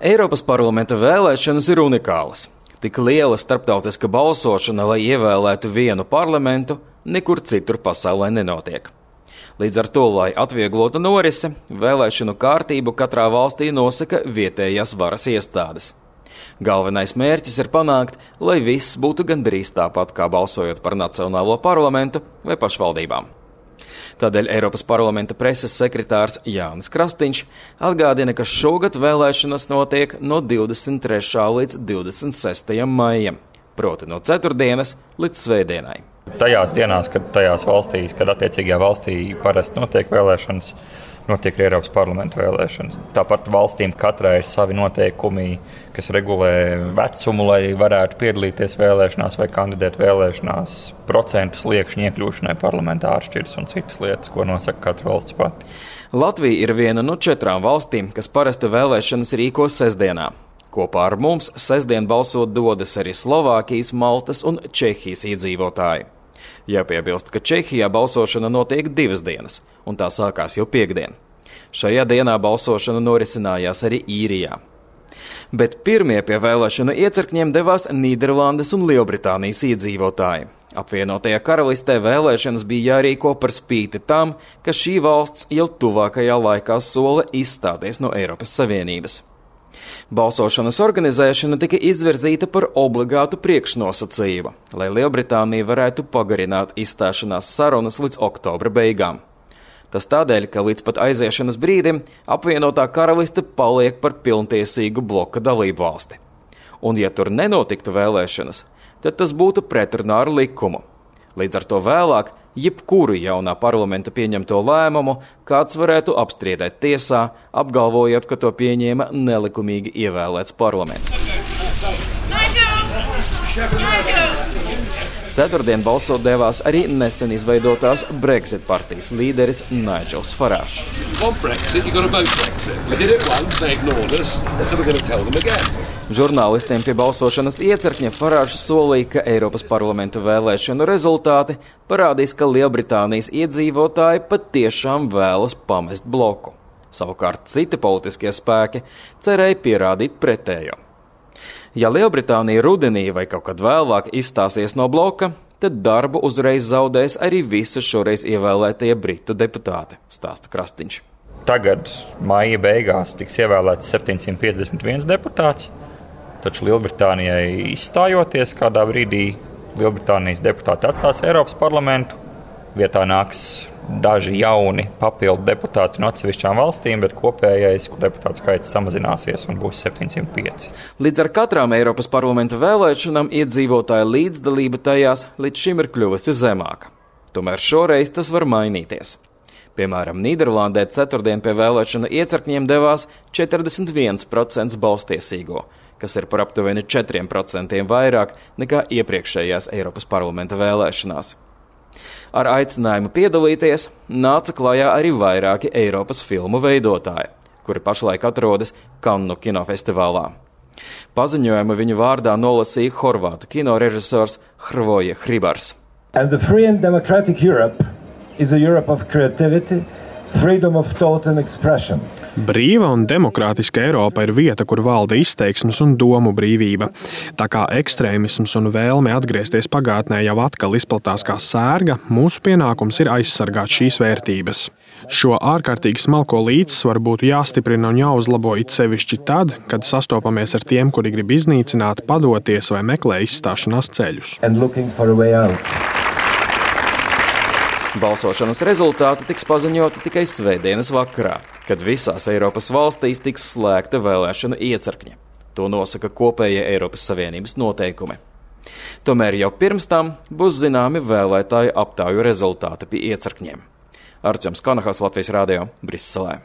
Eiropas parlamenta vēlēšanas ir unikālas. Tik liela starptautiska balsošana, lai ievēlētu vienu parlamentu, nekur citur pasaulē nenotiek. Līdz ar to, lai atvieglotu norisi, vēlēšanu kārtību katrā valstī nosaka vietējās varas iestādes. Galvenais mērķis ir panākt, lai viss būtu gandrīz tāpat, kā balsojot par Nacionālo parlamentu vai pašvaldībām. Tādēļ Eiropas parlamenta preses sekretārs Jānis Krastīņš atgādina, ka šogad vēlēšanas notiek no 23. līdz 26. maijam, proti no ceturtdienas līdz svētdienai. Tajās dienās, kad tajās valstīs, kad attiecīgajā valstī parasti notiek vēlēšanas, notiek arī Eiropas parlamenta vēlēšanas. Tāpat valstīm katrai ir savi noteikumi, kas regulē vecumu, lai varētu piedalīties vēlēšanās vai kandidēt vēlēšanās, procentu sliekšņu iekļūšanai parlamentā atšķiras un citas lietas, ko nosaka katra valsts pati. Latvija ir viena no 4 valstīm, kas parasti vēlēšanas rīko sestdienā. Kopā ar mums sestdien balsot dodas arī Slovākijas, Maltas un Čehijas iedzīvotāji. Jāpiebilst, ka Čehijā balsošana notiek 2 dienas, un tā sākās jau piekdien. Šajā dienā balsošana norisinājās arī Īrijā. Bet pirmie pie vēlēšanu iecirkņiem devās Nīderlandes un Lielbritānijas iedzīvotāji. Apvienotajā karalistē vēlēšanas bija jārīko par spīti tam, ka šī valsts jau tuvākajā laikā sola izstāties no Eiropas Savienības. Balsošanas organizēšana tika izvirzīta par obligātu priekšnosacījumu, lai Lielbritānija varētu pagarināt izstāšanās sarunas līdz oktobra beigām. Tas tādēļ, ka līdz pat aiziešanas brīdim apvienotā karaliste paliek par pilntiesīgu bloka dalību valsti. Un ja tur nenotiktu vēlēšanas, tad tas būtu pretrunā ar likumu. Līdz ar to vēlāk jebkuru jaunā parlamenta pieņemto lēmumu kāds varētu apstrīdēt tiesā, apgalvojot, ka to pieņēma nelikumīgi ievēlēts parlaments. Ceturtdien balsot devās arī nesen izveidotās Brexit partijas līderis Nigels Farage. Žurnālistiem pie balsošanas iecirkņa Farage solīja, ka Eiropas parlamenta vēlēšanu rezultāti parādīs, ka Lielbritānijas iedzīvotāji patiešām vēlas pamest bloku. Savukārt citi politiskie spēki cerēja pierādīt pretējo. Ja Lielbritānija rudenī vai kaut kad vēlāk izstāsies no bloka, tad darbu uzreiz zaudēs arī visi šoreiz ievēlētie britu deputāti, stāsta Krastīņš. Tagad maija beigās tiks ievēlēts 751 deputāts, taču Lielbritānijai izstājoties kādā brīdī Lielbritānijas deputāti atstās Eiropas parlamentu. Vietā nāks daži jauni papildu deputāti no atsevišķām valstīm, bet kopējais deputātu skaits samazināsies un būs 705. Līdz ar katrām Eiropas parlamenta vēlēšanām iedzīvotāju līdzdalība tajās līdz šim ir kļuvusi zemāka. Tomēr šoreiz tas var mainīties. Piemēram, Nīderlandē ceturtdien pie vēlēšanu iecirkņiem devās 41% balstiesīgo, kas ir par aptuveni 4% vairāk nekā iepriekšējās Eiropas parlamenta vēlēšanās. Ar aicinājumu piedalīties nāca klajā arī vairāki Eiropas filmu veidotāji, kuri pašlaik atrodas Kannu kinofestivālā. Paziņojumu viņu vārdā nolasīja horvātu kinorežisors Hrvoje Hribars. And the free and democratic Europe is a Europe of creativity, freedom of thought and expression. Brīva un demokrātiska Eiropa ir vieta, kur valda izteiksmes un domu brīvība. Tā kā ekstrēmisms un vēlme atgriezties pagātnē jau atkal izplatās kā sērga, mūsu pienākums ir aizsargāt šīs vērtības. Šo ārkārtīgi smalko līdzsvaru būtu jāstiprina un jāuzlabo it sevišķi tad, kad sastopamies ar tiem, kuri grib iznīcināt, padoties vai meklē izstāšanās ceļus. Balsošanas rezultāti tiks paziņoti tikai svētdienas vakarā, kad visās Eiropas valstīs tiks slēgta vēlēšanu iecirkņi. To nosaka kopējie Eiropas Savienības noteikumi. Tomēr jau pirms tam būs zināmi vēlētāju aptāju rezultāti pie iecirkņiem. Arčuns Kanahas, Latvijas radio, Briselē.